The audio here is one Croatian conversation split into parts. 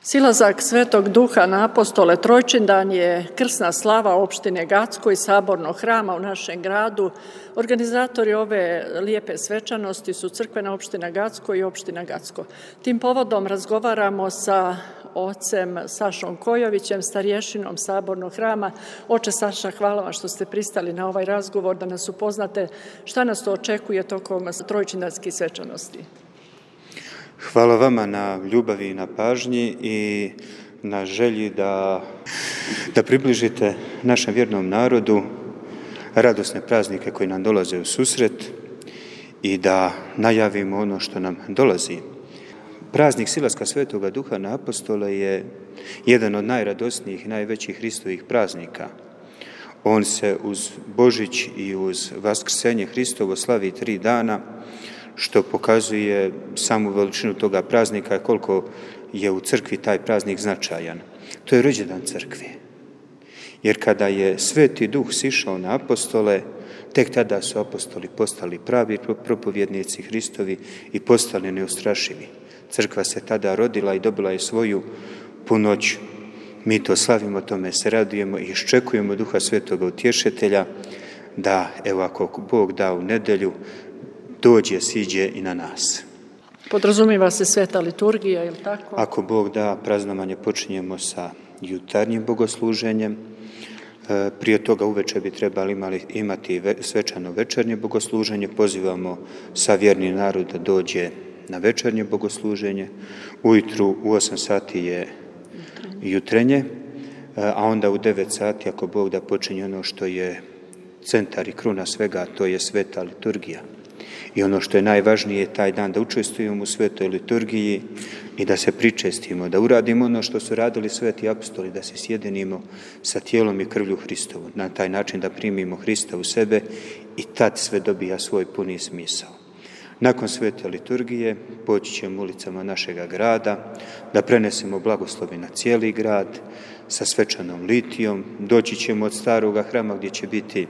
Silazak Svetog Duha na apostole Trojčindan je krsna slava opštine Gacko i sabornog hrama u našem gradu. Organizatori ove lijepe svečanosti su crkvena opština Gacko i opština Gacko. Tim povodom razgovaramo sa ocem Sašom Kojovićem, starješinom sabornog hrama. Oče Saša, hvala vam što ste pristali na ovaj razgovor, da nas upoznate šta nas to očekuje tokom trojčindanskih svečanosti. Hvala vama na ljubavi i na pažnji i na želji da približite našem vjernom narodu radosne praznike koji nam dolaze u susret i da najavimo ono što nam dolazi. Praznik silaska Svetoga Duha na apostole je jedan od najradosnijih i najvećih Hristovih praznika. On se uz Božić i uz Vaskrsenje Hristovo slavi 3 dana, što pokazuje samu veličinu toga praznika i koliko je u crkvi taj praznik značajan. To je rođendan crkve. Jer kada je Sveti Duh sišao na apostole, tek tada su apostoli postali pravi propovjednici Hristovi i postali neustrašivi. Crkva se tada rodila i dobila je svoju punoću. Mi to slavimo, tome se radujemo i iščekujemo Duha Svetoga Utješitelja da, evo ako Bog da u nedjelju, dođe, siđe i na nas. Podrazumijeva se sveta liturgija, je li tako? Ako Bog da, praznovanje počinjemo sa jutarnjim bogosluženjem. Prije toga uveče bi trebali imati svečano večernje bogosluženje. Pozivamo sa vjerni narod da dođe na večernje bogosluženje. Ujutru u 8 sati je jutrenje, a onda u 9 sati, ako Bog da, počinje ono što je centar i kruna svega, to je sveta liturgija. I ono što je najvažnije je taj dan da učestvujemo u svetoj liturgiji i da se pričestimo, da uradimo ono što su radili sveti apostoli, da se sjedinimo sa tijelom i krvlju Hristovu, na taj način da primimo Hrista u sebe i tad sve dobija svoj puni smisao. Nakon svete liturgije poći ćemo ulicama našega grada, da prenesemo blagoslovi na cijeli grad sa svečanom litijom. Doći ćemo od staroga hrama gdje će biti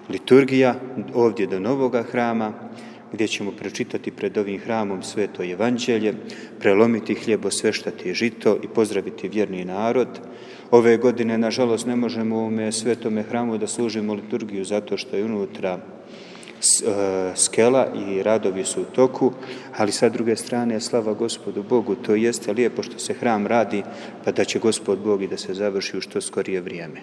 liturgija, ovdje do novoga hrama, gdje ćemo pročitati pred ovim hramom sveto evanđelje, prelomiti hljeb, osveštati žito i pozdraviti vjerni narod. Ove godine, nažalost, ne možemo u ovome svetome hramu da služimo liturgiju zato što je unutra skela i radovi su u toku, ali sa druge strane, slava Gospodu Bogu, to jeste lijepo što se hram radi, pa da će Gospod Bog i da se završi u što skorije vrijeme.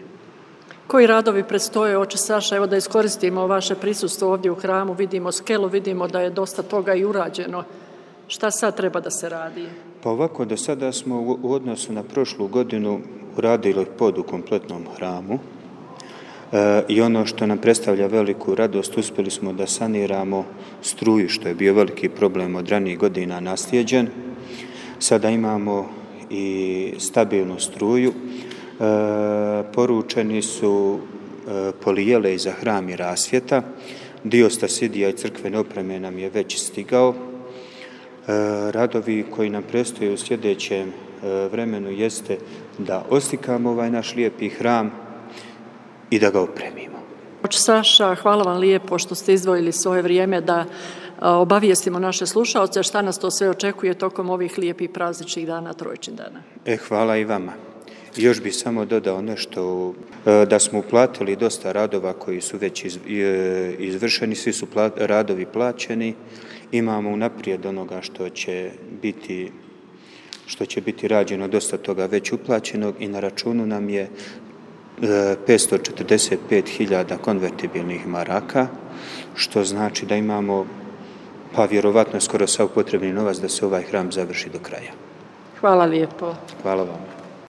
Koji radovi predstoje, oče Saša? Evo da iskoristimo vaše prisustvo ovdje u hramu, vidimo skelu, vidimo da je dosta toga i urađeno. Šta sad treba da se radi? Pa ovako, do sada smo u odnosu na prošlu godinu uradili pod u kompletnom hramu i ono što nam predstavlja veliku radost, uspjeli smo da saniramo struju, što je bio veliki problem od ranijih godina naslijeđen. Sada imamo i stabilnu struju. Poručeni su polijele za hram i rasvjeta. Dio stasidija i crkvene opreme nam je već stigao. Radovi koji nam predstoje u sljedećem vremenu jeste da oslikamo ovaj naš lijepi hram i da ga opremimo. Oče Saša, hvala vam lijepo što ste izdvojili svoje vrijeme da obavijestimo naše slušaoce šta nas to sve očekuje tokom ovih lijepih prazničnih dana Trojčindana. Hvala i vama. Još bih samo dodao nešto, da smo uplatili dosta radova koji su već izvršeni, svi su radovi plaćeni, imamo unaprijed onoga što će biti rađeno, dosta toga već uplaćenog i na računu nam je 545.000 konvertibilnih maraka, što znači da imamo, pa vjerovatno skoro sav potrebni novac da se ovaj hram završi do kraja. Hvala lijepo. Hvala vam.